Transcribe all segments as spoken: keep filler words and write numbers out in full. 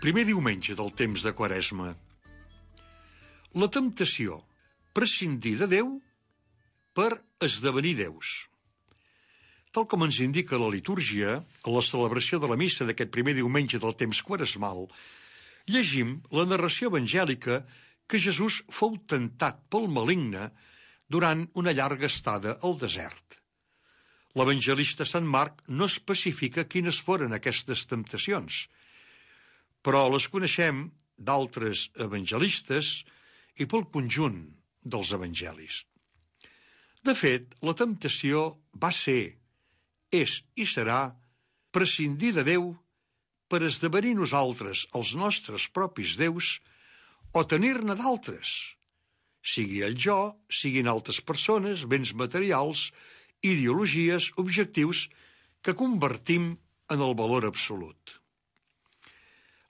Primer diumenge del temps de Quaresma. La temptació, prescindir de Déu per esdevenir déus. Tal com ens indica la litúrgia, a la celebració de la missa d'aquest primer diumenge del temps quaresmal, llegim la narració evangèlica que Jesús fou tentat pel maligne durant una llarga estada al desert. L'evangelista Sant Marc no especifica quines foren aquestes temptacions, però les coneixem d'altres evangelistes i pel conjunt dels evangelis. De fet, la temptació va ser, és i serà prescindir de Déu per esdevenir nosaltres els nostres propis déus o tenir-ne d'altres, sigui el jo, siguin altres persones, béns materials, ideologies, objectius que convertim en el valor absolut.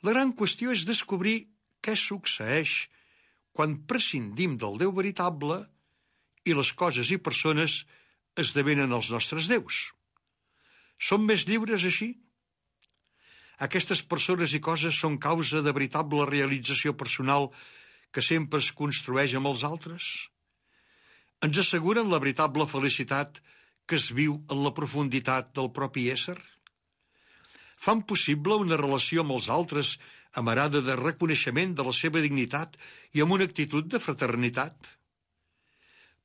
La gran qüestió és descobrir què succeeix quan prescindim del Déu veritable i les coses i persones esdevenen els nostres déus. Som més lliures així? Aquestes persones i coses són causa de veritable realització personal que sempre es construeix amb els altres? Ens asseguren la veritable felicitat que es viu en la profunditat del propi ésser? Fan possible una relació amb els altres amarada de reconeixement de la seva dignitat i amb una actitud de fraternitat?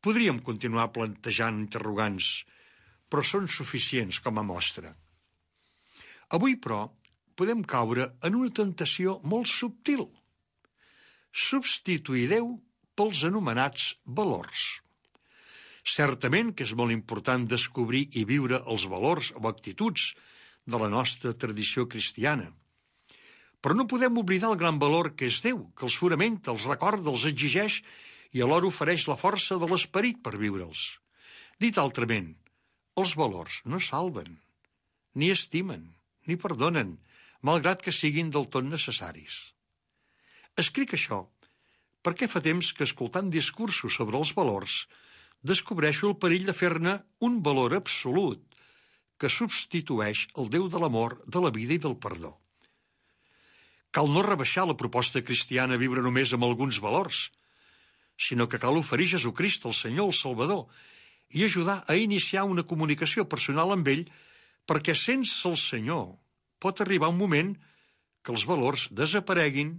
Podríem continuar plantejant interrogants, però són suficients com a mostra. Avui, però, podem caure en una tentació molt subtil. Substituir Déu pels anomenats valors. Certament que és molt important descobrir i viure els valors o actituds de la nostra tradició cristiana. Però no podem oblidar el gran valor que és Déu, que els fonamenta, els recorda, els exigeix i alhora ofereix la força de l'esperit per viure'ls. Dit altrament, els valors no salven, ni estimen, ni perdonen, malgrat que siguin del tot necessaris. Escric això perquè fa temps que escoltant discursos sobre els valors descobreixo el perill de fer-ne un valor absolut que substitueix el Déu de l'amor, de la vida i del perdó. Cal no rebaixar la proposta cristiana a viure només amb alguns valors, sinó que cal oferir Jesucrist, el Senyor, el Salvador, i ajudar a iniciar una comunicació personal amb ell, perquè sense el Senyor pot arribar un moment que els valors desapareguin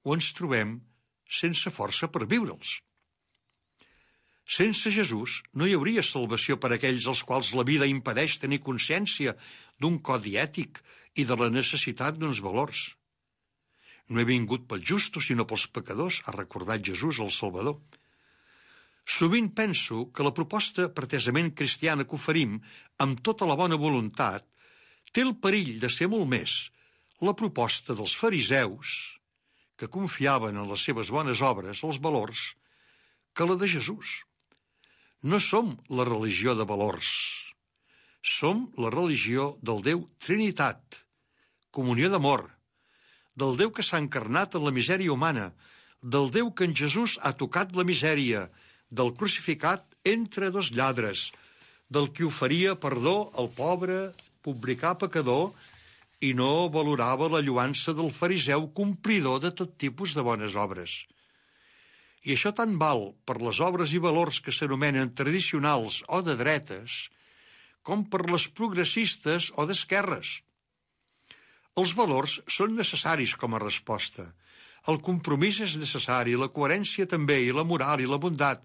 o ens trobem sense força per viure'ls. Sense Jesús no hi hauria salvació per a aquells als quals la vida impedeix tenir consciència d'un codi ètic i de la necessitat d'uns valors. No he vingut pels justos, sinó pels pecadors, ha recordat Jesús, el Salvador. Sovint penso que la proposta pretesament cristiana que oferim, amb tota la bona voluntat, té el perill de ser molt més la proposta dels fariseus, que confiaven en les seves bones obres, els valors, que la de Jesús. No som la religió de valors. Som la religió del Déu Trinitat, comunió d'amor, del Déu que s'ha encarnat en la misèria humana, del Déu que en Jesús ha tocat la misèria, del crucificat entre dos lladres, del qui oferia perdó al pobre publicà pecador i no valorava la lloança del fariseu complidor de tot tipus de bones obres. I això tant val per les obres i valors que s'anomenen tradicionals o de dretes, com per les progressistes o d'esquerres. Els valors són necessaris com a resposta. El compromís és necessari, la coherència també, i la moral i la bondat,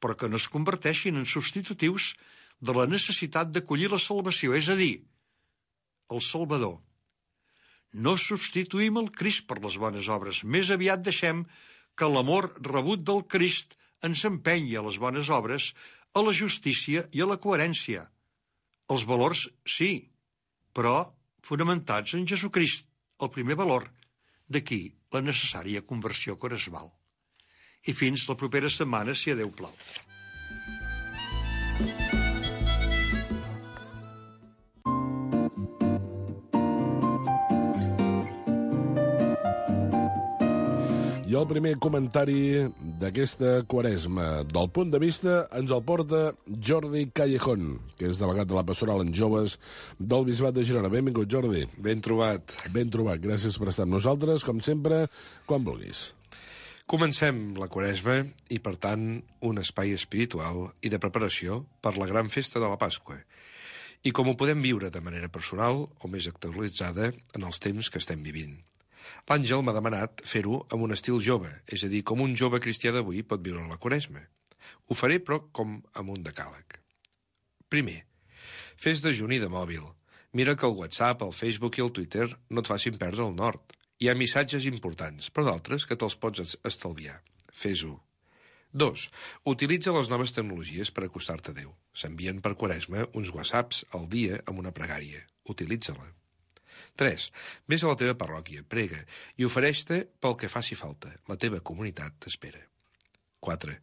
però que no es converteixin en substitutius de la necessitat d'acollir la salvació, és a dir, el Salvador. No substituïm el Crist per les bones obres, més aviat deixem que l'amor rebut del Crist ens empenyi a les bones obres, a la justícia i a la coherència. Els valors, sí, però fonamentats en Jesucrist, el primer valor. D'aquí la necessària conversió quaresmal. I fins la propera setmana, si a Déu plau. I el primer comentari d'aquesta quaresma, del punt de vista, ens el porta Jordi Callejón, que és delegat de la Pastoral en Joves del Bisbat de Girona. Benvingut, Jordi. Ben trobat. Ben trobat, gràcies per estar amb nosaltres, com sempre, quan vulguis. Comencem la Quaresma i, per tant, un espai espiritual i de preparació per la gran festa de la Pasqua. I com ho podem viure de manera personal o més actualitzada en els temps que estem vivint. L'Àngel m'ha demanat fer-ho amb un estil jove, és a dir, com un jove cristià d'avui pot viure la Quaresma. Ho faré, però, com amb un decàleg. Primer, fes dejuni de mòbil. Mira que el WhatsApp, el Facebook i el Twitter no et facin perdre el nord. Hi ha missatges importants, però d'altres que te'ls pots estalviar. Fes-ho. Dos, utilitza les noves tecnologies per acostar-te a Déu. S'envien per Quaresma uns WhatsApps al dia amb una pregària. Utilitza-la. Tres, vés a la teva parròquia, prega i ofereix-te pel que faci falta. La teva comunitat t'espera. Quatre,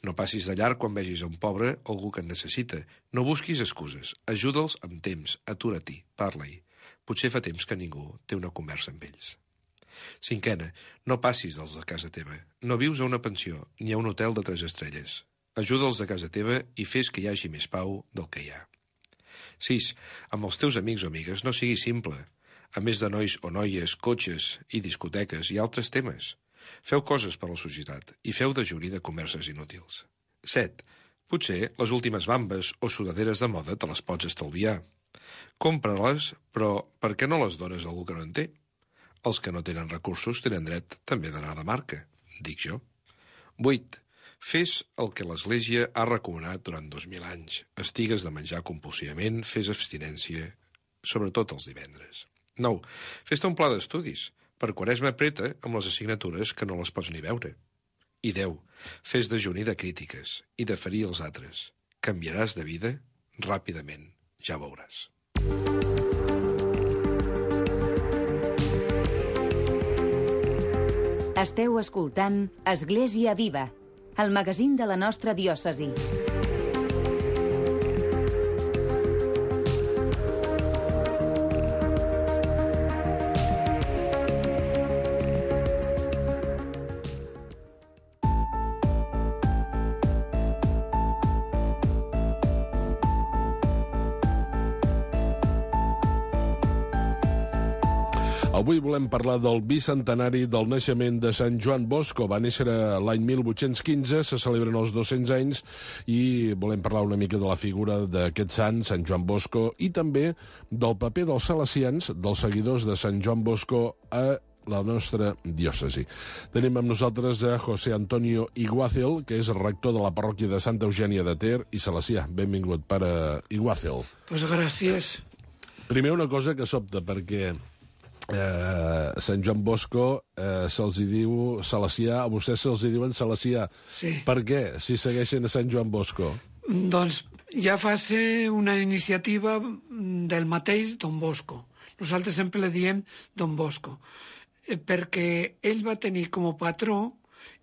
no passis de llarg quan vegis a un pobre o algú que en necessita. No busquis excuses. Ajuda'ls amb temps. Atura-t'hi. Parla-hi. Potser fa temps que ningú té una conversa amb ells. Cinquena, no passis dels de casa teva. No vius a una pensió ni a un hotel de tres estrelles. Ajuda'ls a casa teva i fes que hi hagi més pau del que hi ha. Sis, amb els teus amics o amigues no siguis simple. A més de nois o noies, cotxes i discoteques i altres temes. Feu coses per a la societat i feu dejuni de converses inútils. Set, potser les últimes bambes o sudaderes de moda te les pots estalviar. Compra-les, però per què no les dones a algú que no en té? Els que no tenen recursos tenen dret també d'anar de marca, dic jo. Vuit, fes el que l'Església ha recomanat durant dos mil anys. Estigues de menjar compulsivament, fes abstinència, sobretot els divendres. Nou, fes-te un pla d'estudis. Per Quaresma preta amb les assignatures que no les pots ni veure. I deu, fes dejuni de crítiques i de ferir els altres. Canviaràs de vida ràpidament, ja veuràs. Esteu escoltant Església Viva, el magazín de la nostra diòcesi. Avui volem parlar del bicentenari del naixement de Sant Joan Bosco. Va néixer l'any mil vuit-cents quinze, se celebren els dos-cents anys i volem parlar una mica de la figura d'aquest sant, Sant Joan Bosco, i també del paper dels salesians, dels seguidors de Sant Joan Bosco a la nostra diòcesi. Tenim amb nosaltres a José Antonio Iguácel, que és rector de la parròquia de Santa Eugènia de Ter i salesià. Benvingut, pare Iguácel. Pues gràcies. Primer una cosa que sobta, perquè Eh, Sant Joan Bosco eh, se'ls diu salesià, a vostès se'ls diuen salesià. Sí. Per què, si segueixen a Sant Joan Bosco? Doncs ja fa ser una iniciativa del mateix Don Bosco. Nosaltres sempre li diem Don Bosco, eh, perquè ell va tenir com a patró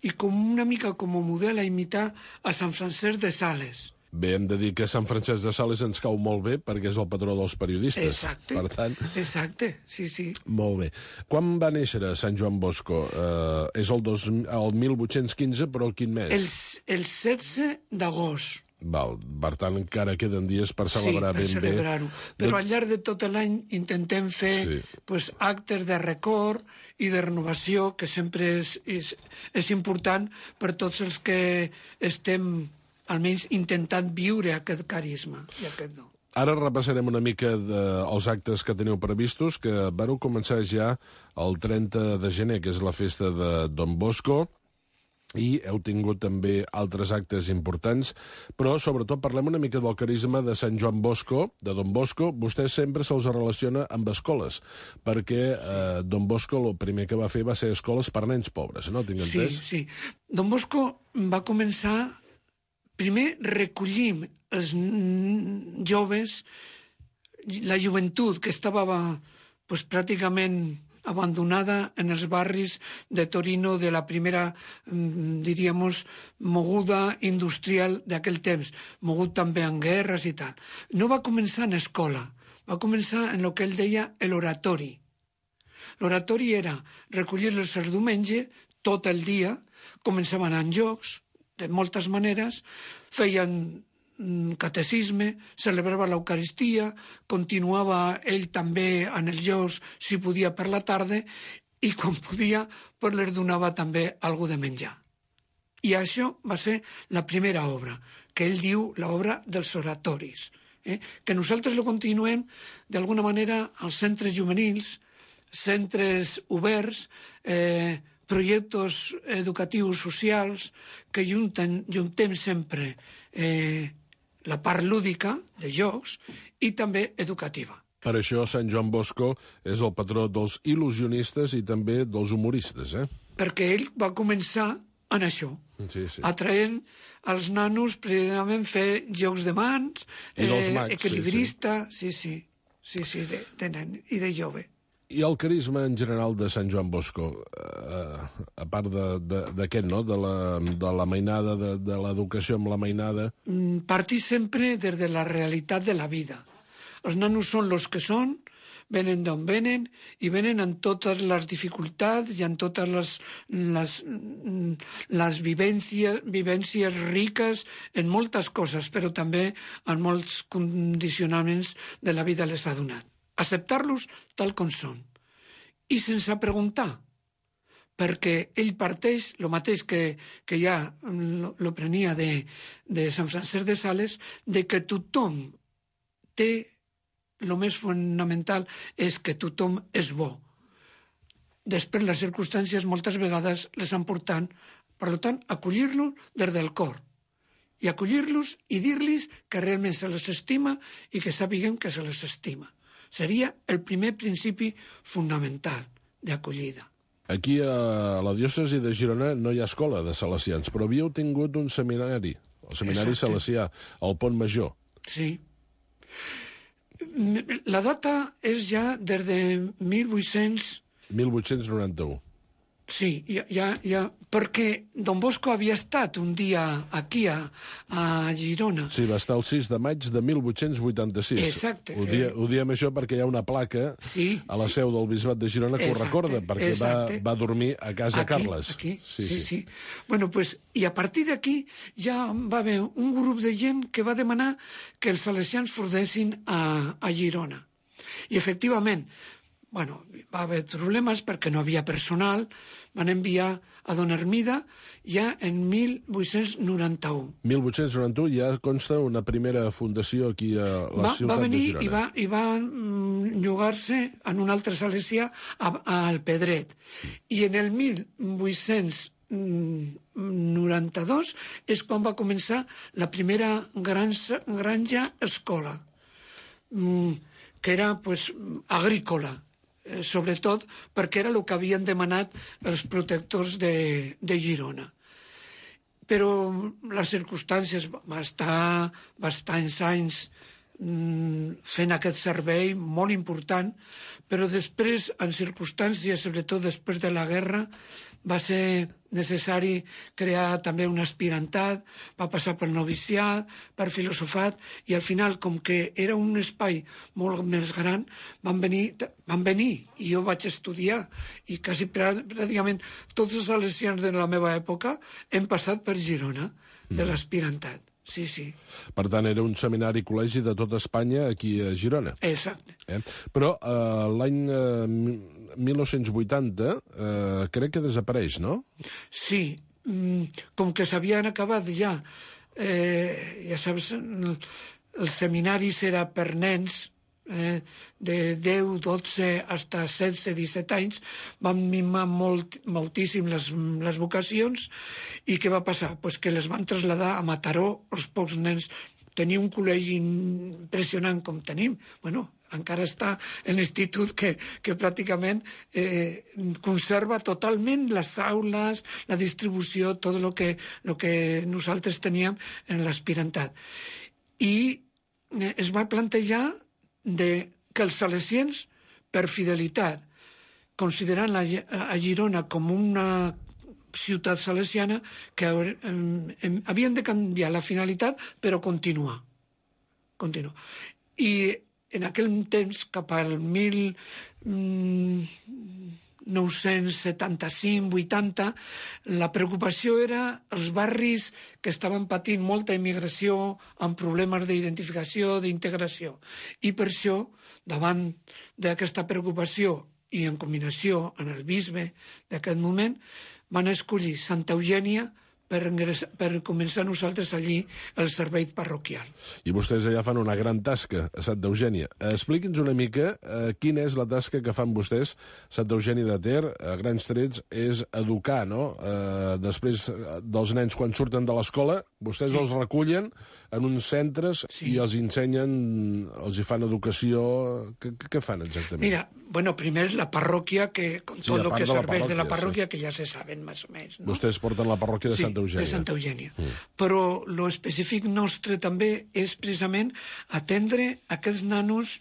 i com una mica com a model a imitar a Sant Francesc de Sales. Bé, hem de dir que Sant Francesc de Sales ens cau molt bé perquè és el patró dels periodistes. Exacte, per tant, exacte, sí, sí. Molt bé. Quan va néixer Sant Joan Bosco? Eh, és el, dos, el mil vuit-cents quinze, però quin mes? El, el setze d'agost. Val, per tant, encara queden dies per celebrar sí, per ben celebrar-ho. bé. Però al llarg de tot l'any intentem fer Sí. pues, actes de record i de renovació, que sempre és, és, és important per tots els que estem almenys intentant viure aquest carisma i aquest do. Ara repassarem una mica de, els actes que teniu previstos, que vareu començar ja el trenta de gener, que és la festa de Don Bosco, i heu tingut també altres actes importants, però sobretot parlem una mica del carisma de Sant Joan Bosco, de Don Bosco. Vostè sempre se'ls relaciona amb escoles, perquè eh, Don Bosco el primer que va fer va ser escoles per nens pobres, no? Tinc entès? Sí, sí. Don Bosco va començar. Primer recollim els joves, la joventut que estava pues, pràcticament abandonada en els barris de Torino de la primera, diríem, moguda industrial d'aquell temps, mogut també en guerres i tal. No va començar en escola, va començar en el que ell deia l'oratori. L'oratori era recollir-los el diumenge, tot el dia, començaven amb jocs, de moltes maneres, feien catecisme, celebrava l'Eucaristia, continuava ell també en els jocs, si podia per la tarda, i quan podia, pues les donava també algú de menjar. I això va ser la primera obra, que ell diu l'obra dels oratoris, eh? que nosaltres lo continuem d'alguna manera als centres juvenils, centres oberts, eh, projectes educatius socials que junten, juntem sempre eh, la part lúdica de jocs i també educativa. Per això Sant Joan Bosco és el patró dels il·lusionistes i també dels humoristes, eh? Perquè ell va començar en això, sí, sí. atraient als nanos precisament fer jocs de mans, I dels mags, equilibrista, sí, sí, sí, sí, de, de nen i de jove. I el carisma en general de Sant Joan Bosco, eh, a part d'aquest, no?, de la, de la mainada, de, de l'educació amb la mainada... Partir sempre des de la realitat de la vida. Els nanos són els que són, venen d'on venen, i venen amb totes les dificultats i amb totes les, les, les vivències, vivències riques en moltes coses, però també en molts condicionaments de la vida les ha donat. Acceptar-los tal com són. I sense preguntar, perquè ell parteix, el mateix que, que ja lo, lo prenia de, de Sant Francesc de Sales, de que tothom té, el més fonamental és que tothom és bo. Després les circumstàncies moltes vegades les han portat, per tant, acollir-los des del cor. I acollir-los i dir-los que realment se les estima i que sàpiguen que se les estima. Seria el primer principi fonamental d'acollida. Aquí a la diòcesi de Girona no hi ha escola de salesians, però havíeu tingut un seminari, el seminari Exacte. salesià, al Pont Major. Sí. La data és ja des de mil vuit-cents... mil vuit-cents noranta-u. Sí, ja, ja, ja, perquè Don Bosco havia estat un dia aquí a, a Girona. Sí, va estar el sis de maig de mil vuit-cents vuitanta-sis. Exacte. Ho, dia, ho diem això perquè hi ha una placa sí, a la seu del Bisbat de Girona que exacte, ho recorda, perquè va, va dormir a casa aquí, Carles. Aquí, sí, sí, sí. sí. Bueno, pues, i a partir d'aquí ja va haver un grup de gent que va demanar que els salesians fordessin a, a Girona. I efectivament, bueno, va haver problemes perquè no havia personal, van enviar a Don Hermida ja en mil vuit-cents noranta-u. mil vuit-cents noranta-u ja consta una primera fundació aquí a la va, ciutat va venir de Girona. I va, i va mm, llogar-se en un altre salesià al Pedret. I en el mil vuit-cents noranta-dos és quan va començar la primera granja, granja escola, mm, que era pues, agrícola, eh, sobretot perquè era el que havien demanat els protectors de, de Girona. Però les circumstàncies va estar bastants anys mm, fent aquest servei molt important, però després, en circumstàncies, sobretot després de la guerra, va ser necessari crear també un aspirantat, va passar per noviciat, per filosofat, i al final, com que era un espai molt més gran, van venir, van venir i jo vaig estudiar, i quasi pràcticament tots els salesians de la meva època hem passat per Girona, de l'aspirantat. Sí, sí. Per tant, era un seminari col·legi de tota Espanya aquí a Girona. Exacte. Eh? Però eh, l'any eh, mil nou-cents vuitanta eh, crec que desapareix, no? Sí, com que s'havien acabat ja, eh, ja saps, el, el seminari era per nens, eh, de deu, dotze, fins a setze, disset anys, van mimar molt, moltíssim les, les vocacions, i què va passar? Pues que les van traslladar a Mataró, els pocs nens. Tenia un col·legi impressionant com tenim, bueno, encara està en l'institut que, que pràcticament eh, conserva totalment les aules, la distribució, tot el que, lo que nosaltres teníem en l'aspirantat. I eh, es va plantejar de que els salesians, per fidelitat, considerant la, a Girona com una ciutat salesiana, que eh, eh, havien de canviar la finalitat, però continuar. continuar. I en aquell temps, cap al mil nou-cents setanta-cinc vuitanta, la preocupació era els barris que estaven patint molta immigració amb problemes d'identificació, d'integració. I per això, davant d'aquesta preocupació i en combinació amb el bisbe d'aquest moment, van escollir Santa Eugènia per, per començar nosaltres allí el servei parroquial. I vostès allà fan una gran tasca a Santa Eugènia. Expliqui'ns una mica eh, quina és la tasca que fan vostès. Santa Eugènia de Ter, a grans trets, és educar, no? Eh, després dels nens, quan surten de l'escola, vostès sí. els recullen en uns centres sí. i els ensenyen, els hi fan educació. Què, què fan exactament? Mira, bueno, primer la parròquia, que con sí, tot el que de serveix la de la parròquia, sí. que ja se saben més o menys. No? Vostès porten la parròquia de sí, Santa Eugènia. de Santa Eugènia. Mm. Però lo específic nostre també és precisament atendre aquests nanos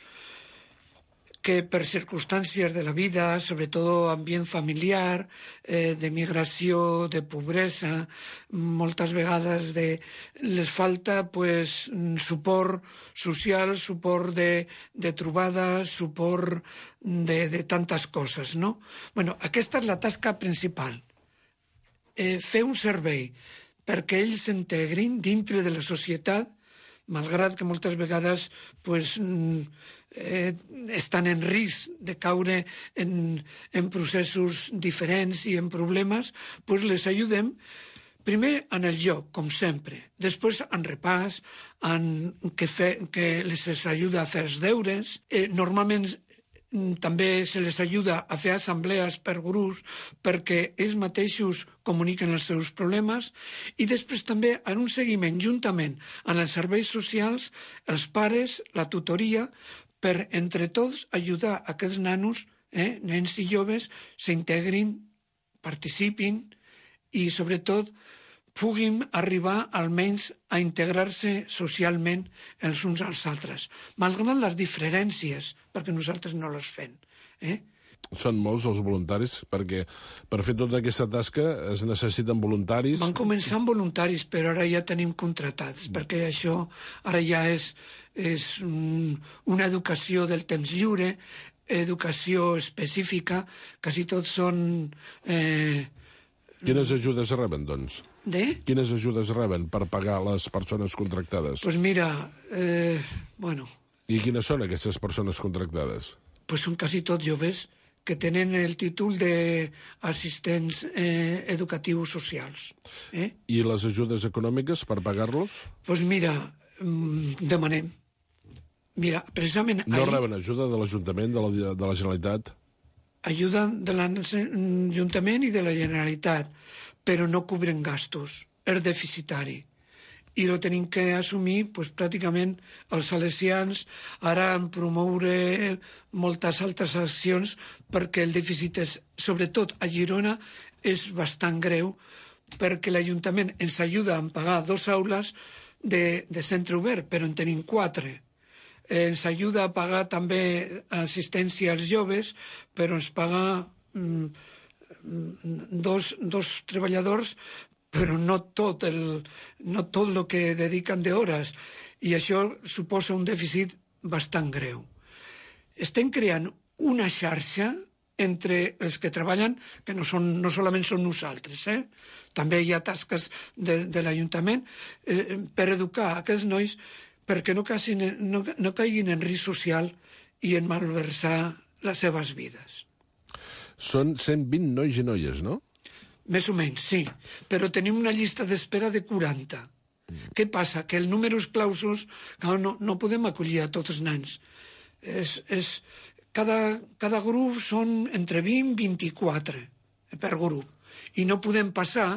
que per circumstàncies de la vida, sobretot ambient familiar, eh, de migració, de pobresa, moltes vegades de, les falta pues, suport social, suport de, de trobada, suport de, de tantes coses, no? Bueno, aquesta és la tasca principal. Eh, fer un servei perquè ells s'integrin dintre de la societat, malgrat que moltes vegades pues, eh, estan en risc de caure en, en processos diferents i en problemes, pues les ajudem primer en el joc, com sempre, després en repàs, en que, fe, que les ajuda a fer els deures, eh, normalment també se les ajuda a fer assemblees per grups perquè ells mateixos comuniquen els seus problemes i després també en un seguiment juntament amb els serveis socials, els pares, la tutoria, per entre tots ajudar a aquests nanos, eh, nens i joves, s'integrin, participin i sobretot puguin arribar almenys a integrar-se socialment els uns als altres, malgrat les diferències, perquè nosaltres no les fem. Eh? Són molts els voluntaris, perquè per fer tota aquesta tasca es necessiten voluntaris. Van començar amb voluntaris, però ara ja tenim contratats, perquè això ara ja és, és un, una educació del temps lliure, educació específica, quasi tots són... Eh, Quines ajudes reben, doncs? De? Quines ajudes reben per pagar les persones contractades? Doncs pues mira, eh, bueno... I quines són aquestes persones contractades? Pues són quasi tots joves que tenen el títol d'assistents eh, educatius socials. Eh? I les ajudes econòmiques per pagar-los? Doncs pues mira, demanem. Mira, precisament... No ahir, reben ajuda de l'Ajuntament, de, la, de la Generalitat? Ajuda de l'Ajuntament i de la Generalitat, però no cobren gastos, és deficitari. I lo tenim que assumir pues, pràcticament els salesians, ara en promoure moltes altres accions perquè el dèficit, és, sobretot a Girona, és bastant greu perquè l'Ajuntament ens ajuda a pagar dos aules de, de centre obert, però en tenim quatre. Ens ajuda a pagar també assistència als joves, però ens paga mm, dos, dos treballadors, però no tot el, no tot el que dediquen d'hores, i això suposa un dèficit bastant greu. Estem creant una xarxa entre els que treballen, que no, són, no solament són nosaltres, eh? També hi ha tasques de, de l'Ajuntament, eh, per educar aquests nois perquè no, casin, no, no caiguin en risc social i en malversar les seves vides. Són cent vint nois i noies, no? Més o menys, sí, però tenim una llista d'espera de quaranta. Mm. Què passa? Que el número clausos, no, no podem acollir a tots els nens. És, és, cada, cada grup són entre vint i vint-i-quatre per grup. I no podem passar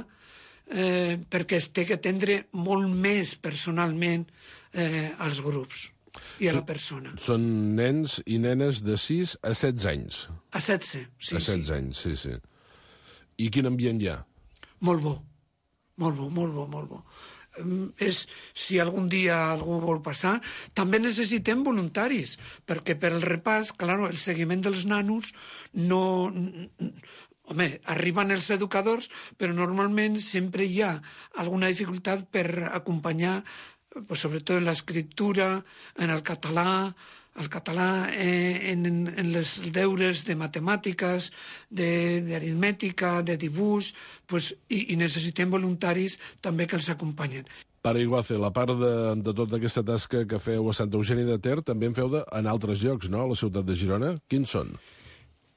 eh, perquè es té que atendre molt més personalment eh, als grups i a la persona. Són nens i nenes de sis a setze anys. A setze, sí. A setze sí. anys, sí, sí. I quin ambient hi ha? Molt bo, molt bo, molt bo, molt bo. És, si algun dia algú vol passar, també necessitem voluntaris, perquè per el repàs, clar, el seguiment dels nanos no... Home, arriben els educadors, però normalment sempre hi ha alguna dificultat per acompanyar, pues, sobretot en l'escriptura, en el català, el català eh, en, en les deures de matemàtiques, d'aritmètica, de, de dibuix, pues, i, i necessitem voluntaris també que els acompanyen. Pare Iguace, la part de, de tota aquesta tasca que feu a Santa Eugènia de Ter també en feu de, en altres llocs, no?, a la ciutat de Girona. Quins són?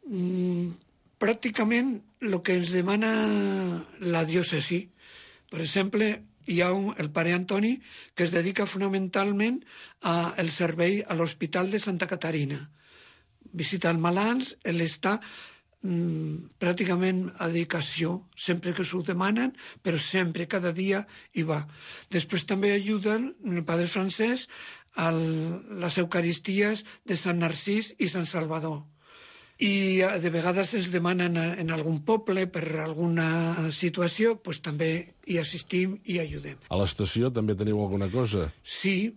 Mm, pràcticament el que ens demana la diòcesi. Per exemple, hi ha un, el pare Antoni, que es dedica fonamentalment al servei a l'Hospital de Santa Caterina. Visita els malalts, ell està mm, pràcticament a dedicació, sempre que s'ho demanen, però sempre, cada dia, hi va. Després també ajuden el padre Francesc a les Eucaristies de Sant Narcís i Sant Salvador. I de vegades es demanen en algun poble per alguna situació, doncs també hi assistim i ajudem. A l'estació també teniu alguna cosa? Sí,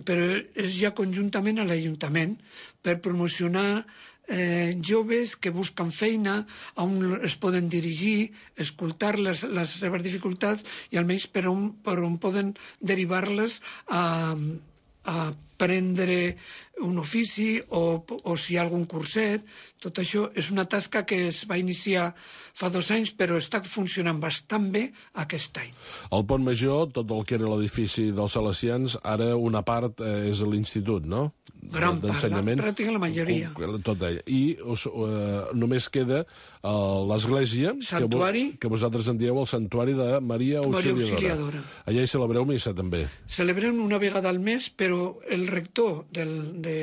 però és ja conjuntament a l'Ajuntament per promocionar eh, joves que busquen feina, on es poden dirigir, escoltar les, les seves dificultats i almenys per on, per on poden derivar-les a, a prendre un ofici o, o si hi ha algun curset. Tot això és una tasca que es va iniciar fa dos anys, però està funcionant bastant bé aquest any. El Pont Major, tot el que era l'edifici dels Salesians, ara una part eh, és l'institut, no? Gran part, la, pràcticament la majoria. Tot ell. I us, eh, només queda eh, l'església, que, que vosaltres en dieu el Santuari de Maria Auxiliadora. Maria Auxiliadora. Allà hi celebreu missa, també. Celebrem una vegada al mes, però el rector del, de,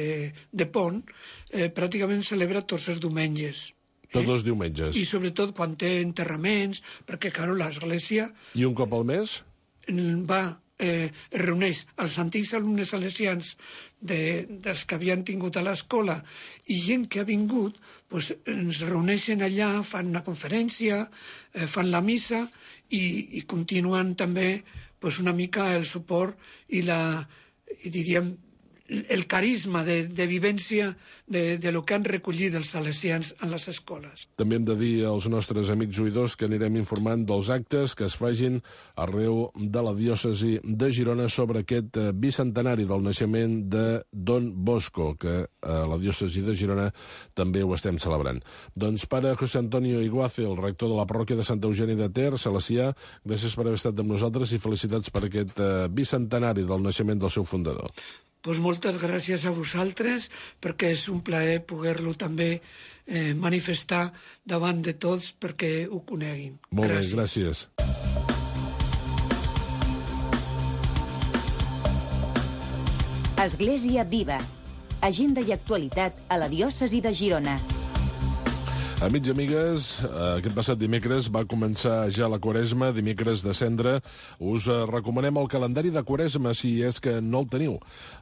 de Pont eh, pràcticament celebra tots els diumenges. Tots eh? els diumenges. I sobretot quan té enterraments, perquè, claro, l'església... I un cop al mes? Va, eh, es reuneix els antics alumnes salesians de, dels que havien tingut a l'escola i gent que ha vingut, pues, ens reuneixen allà, fan una conferència, eh, fan la missa i, i continuen també pues, una mica el suport i la, i diríem, el carisma de, de vivència de, de lo que han recollit els salesians en les escoles. També hem de dir als nostres amics oïdors que anirem informant dels actes que es facin arreu de la diòcesi de Girona sobre aquest bicentenari del naixement de Don Bosco, que a la diòcesi de Girona també ho estem celebrant. Doncs pare José Antonio Iguace, el rector de la parròquia de Santa Eugènia de Ter, salesià, gràcies per haver estat amb nosaltres i felicitats per aquest bicentenari del naixement del seu fundador. Pues moltes gràcies a vosaltres, perquè és un plaer poder-lo també eh, manifestar davant de tots perquè ho coneguin. Molt gràcies. bé, gràcies. Església Viva. Agenda i actualitat a la diòcesi de Girona. Amics i amigues, aquest passat dimecres va començar ja la Quaresma, dimecres de Cendra. Us recomanem el calendari de Quaresma, si és que no el teniu.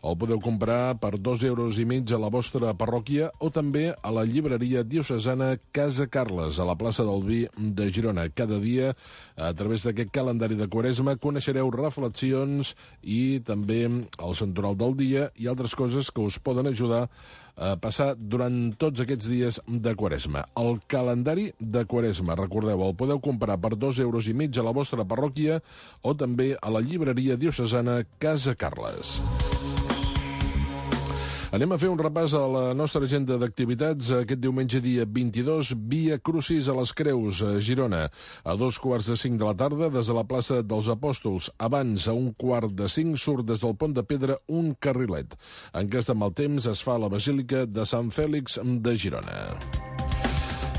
El podeu comprar per dos euros i mig a la vostra parròquia o també a la llibreria diocesana Casa Carles, a la plaça del Vi de Girona. Cada dia, a través d'aquest calendari de Quaresma, coneixereu reflexions i també el santoral del dia i altres coses que us poden ajudar a passar durant tots aquests dies de Quaresma. El calendari de Quaresma, recordeu, el podeu comprar per dos euros i mig a la vostra parròquia o també a la llibreria diocesana Casa Carles. Anem a fer un repàs a la nostra agenda d'activitats. Aquest diumenge, dia vint-i-dos, Via Crucis a les Creus, a Girona. A dos quarts de cinc de la tarda, des de la plaça dels Apòstols. Abans, a un quart de cinc, surt des del Pont de Pedra un carrilet. En cas de mal temps, es fa a la Basílica de Sant Fèlix de Girona.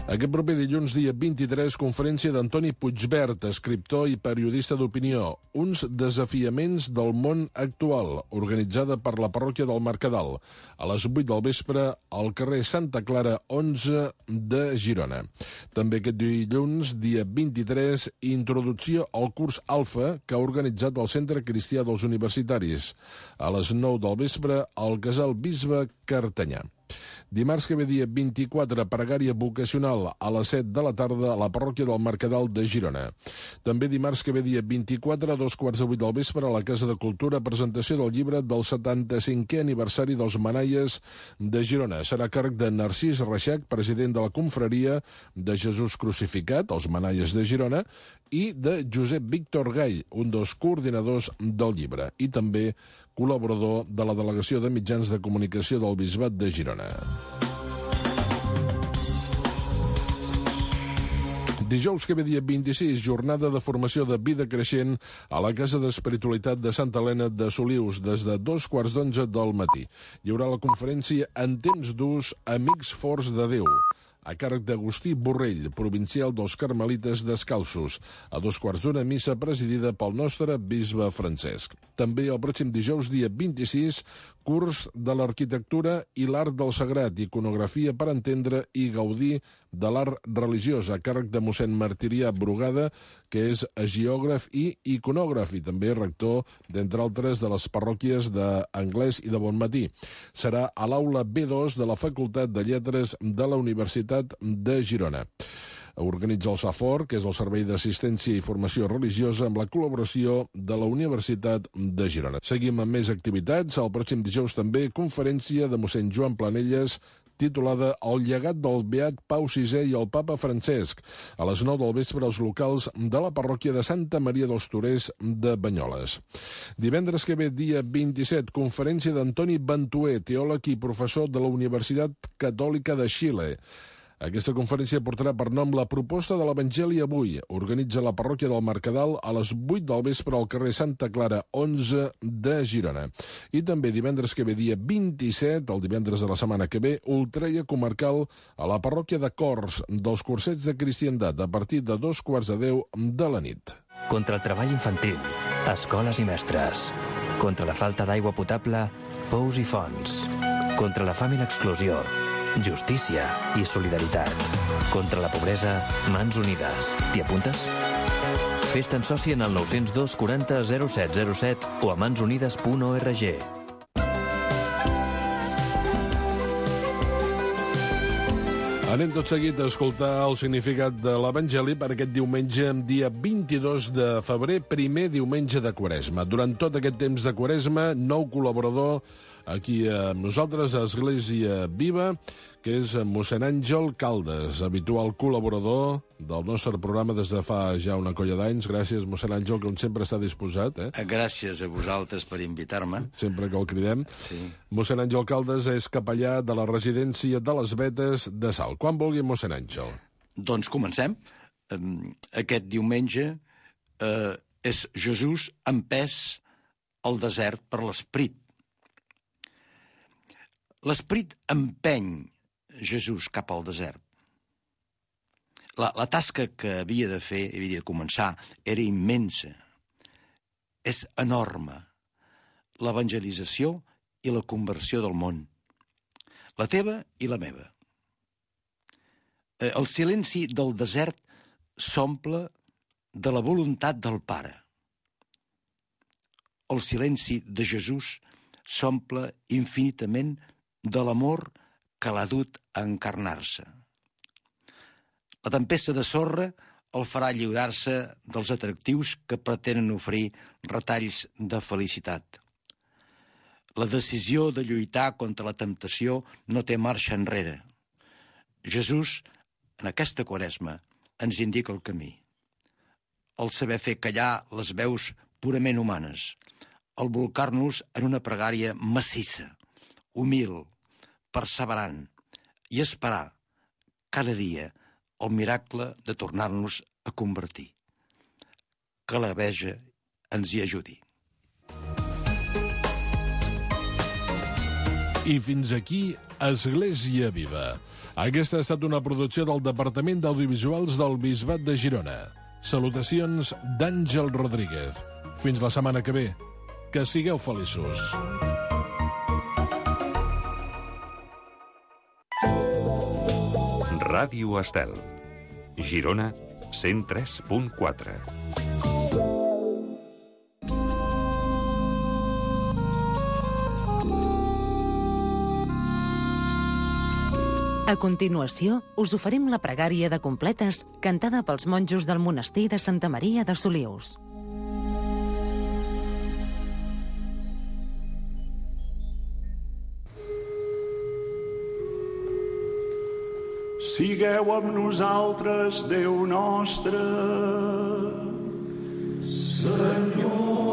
Aquest proper dilluns, dia vint-i-tres, conferència d'Antoni Puigvert, escriptor i periodista d'opinió. Uns desafiaments del món actual, organitzada per la parròquia del Mercadal. A les vuit del vespre, al carrer Santa Clara onze de Girona. També aquest dilluns, dia vint-i-tres, introducció al curs Alfa que ha organitzat el Centre Cristià dels Universitaris. A les nou del vespre, al Casal Bisbe Cartanyà. Dimarts que ve, dia vint-i-quatre, pregària vocacional a les set de la tarda a la parròquia del Mercadal de Girona. També dimarts que ve, dia vint-i-quatre, a dos quarts de vuit del vespre, a la Casa de Cultura, presentació del llibre del setanta-cinquè aniversari dels Manaies de Girona. Serà a càrrec de Narcís Reixac, president de la confraria de Jesús Crucificat, els Manaies de Girona, i de Josep Víctor Gall, un dels coordinadors del llibre. I també col·laborador de la Delegació de Mitjans de Comunicació del Bisbat de Girona. Dijous que ve dia vint-i-sis, jornada de formació de vida creixent a la Casa d'Espiritualitat de Santa Helena de Solius, des de dos quarts d'onze del matí. Hi haurà la conferència En temps durs, Amics Forts de Déu, a càrrec d'Agustí Borrell, provincial dels Carmelites Descalços, a dos quarts d'una missa presidida pel nostre bisbe Francesc. També el pròxim dijous, dia vint-i-sis, curs de l'arquitectura i l'art del sagrat, iconografia per entendre i gaudir de l'art religiós, a càrrec de mossèn Martirià Brugada, que és geògraf i iconògraf, i també rector, d'entre altres, de les parròquies d'Anglès i de Bonmatí. Serà a l'aula B dos de la Facultat de Lletres de la Universitat de Girona. Organitza el SAFOR, que és el Servei d'Assistència i Formació Religiosa, amb la col·laboració de la Universitat de Girona. Seguim amb més activitats. El pròxim dijous també conferència de mossèn Joan Planelles, titulada El llegat del beat Pau sisè i el papa Francesc, a les nou del vespre als locals de la parròquia de Santa Maria dels Torers de Banyoles. Divendres que ve, dia vint-i-set, conferència d'Antoni Bantuer, teòleg i professor de la Universitat Catòlica de Xile. Aquesta conferència portarà per nom La proposta de l'Evangeli avui. Organitza la parròquia del Mercadal a les vuit del vespre al carrer Santa Clara, onze de Girona. I també divendres que ve, dia vint-i-set, el divendres de la setmana que ve, ultreia comarcal a la parròquia de Cors dels Cursets de Cristiandat a partir de dos quarts de deu de la nit. Contra el treball infantil, escoles i mestres. Contra la falta d'aigua potable, pous i fonts. Contra la fam i l'exclusió, justícia i solidaritat. Contra la pobresa, mans unides. T'hi apuntes? Fes-te'n soci en el nou zero dos quaranta zero set zero set o a mansunides punt org. Anem tot seguit a escoltar el significat de l'Evangeli per aquest diumenge, dia vint-i-dos de febrer, primer diumenge de Quaresma. Durant tot aquest temps de Quaresma, nou col·laborador aquí amb nosaltres a Església Viva, que és mossèn Àngel Caldes, habitual col·laborador del nostre programa des de fa ja una colla d'anys. Gràcies, mossèn Àngel, que sempre està disposat. Eh? Gràcies a vosaltres per invitar-me. Sempre que el cridem. Sí. Mossèn Àngel Caldes és capellà de la residència de les Vetes de Salt. Quan vulgui, mossèn Àngel. Doncs comencem. Aquest diumenge eh, és Jesús empès al desert per l'Esperit. L'Esperit empeny Jesús cap al desert. La, la tasca que havia de fer, havia de començar, era immensa. És enorme. L'evangelització i la conversió del món. La teva i la meva. El silenci del desert s'omple de la voluntat del Pare. El silenci de Jesús s'omple infinitament de l'amor que l'ha dut a encarnar-se. La tempesta de sorra el farà lliurar-se dels atractius que pretenen oferir retalls de felicitat. La decisió de lluitar contra la temptació no té marxa enrere. Jesús, en aquesta Quaresma, ens indica el camí. El saber fer callar les veus purament humanes, el bolcar-nos en una pregària massissa, humil, perseverant, i esperar cada dia el miracle de tornar-nos a convertir. Que la Verge ens hi ajudi. I fins aquí Església Viva. Aquesta ha estat una producció del Departament d'Audiovisuals del Bisbat de Girona. Salutacions d'Àngel Rodríguez. Fins la setmana que ve. Que sigueu feliços. Ràdio Estel. Girona, cent tres punt quatre. A continuació, us oferim la pregària de completes cantada pels monjos del monestir de Santa Maria de Solius. Sigueu amb nosaltres, Déu nostre. Senyor.